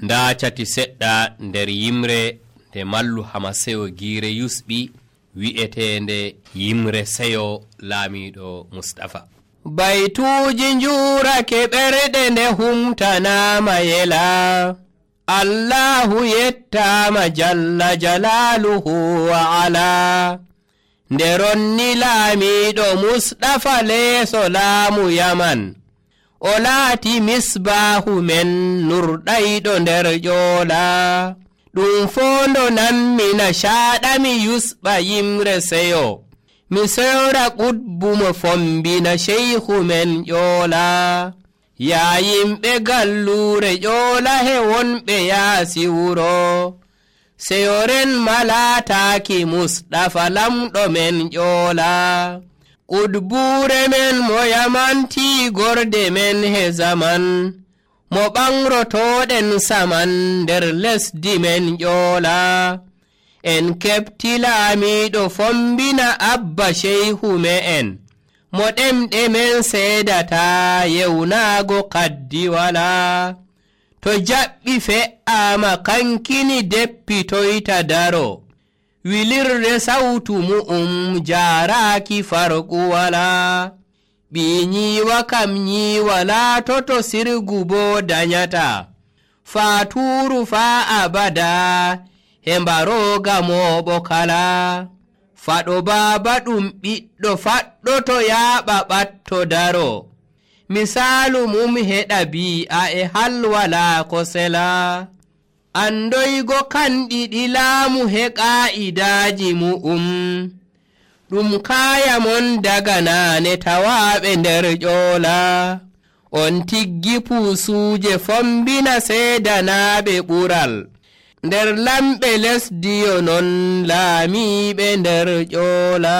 nda cati seɗɗa nder yimre nde mallu Hamaseyo giire yusɓi wi'etende yimre seyo laamiɗo Mustafa. Baytuuji njuurake ɓerɗe nde humtanama yela, Allahu yettama jalla jalaaluhu wa ala. Nde ronni laamiɗo Mustafa leeso laamu Yaman, o laati misbaahu men nurɗayɗo nder ƴoola. Ɗum fondo nammina shaaɗami yusɓa yimre seyo, mi sewra ƙudbu mo fombina sheykhu men ƴoola. Yaa yimɓe galluure ƴoola he wonɓe yaasi wuro, seyoren malaataaki Mustafa lamɗo men ƴoola. Ƙudbuure men mo yamantii gorde men he zaman, mo ɓangrotooɗen saman nder lesdi men ƴoola. En keɓti laamiiɗo fombina abba sheykhu me'en, mo ɗemɗe men seedata yewnaago kaddi walaa. To jaɓɓi fe'aama kankini deppitoyta daro, wilirde sawtu mu'um jaaraaki farqu walaa. Ɓii nyiiwa kam nyiiwa laatoto sirgu boo danyata, faatuuru faa abada he mbarooga mooɓo kala. Faɗo baaba ɗum ɓiɗɗo faɗɗoto yaaɓa ɓatto daro, misaalu mum heɗa bi'a e halwalaa ko sela. Andoygo kanɗiɗi laamu he ƙaa'idaaji mu'um, ɗum kaaya mon daga naane tawaaɓe nder ƴoola. On tiggi puusuuje fombina seedanaaɓe ɓural, nder lamɓe lesdi yo non laamiiɓe nder ƴoola.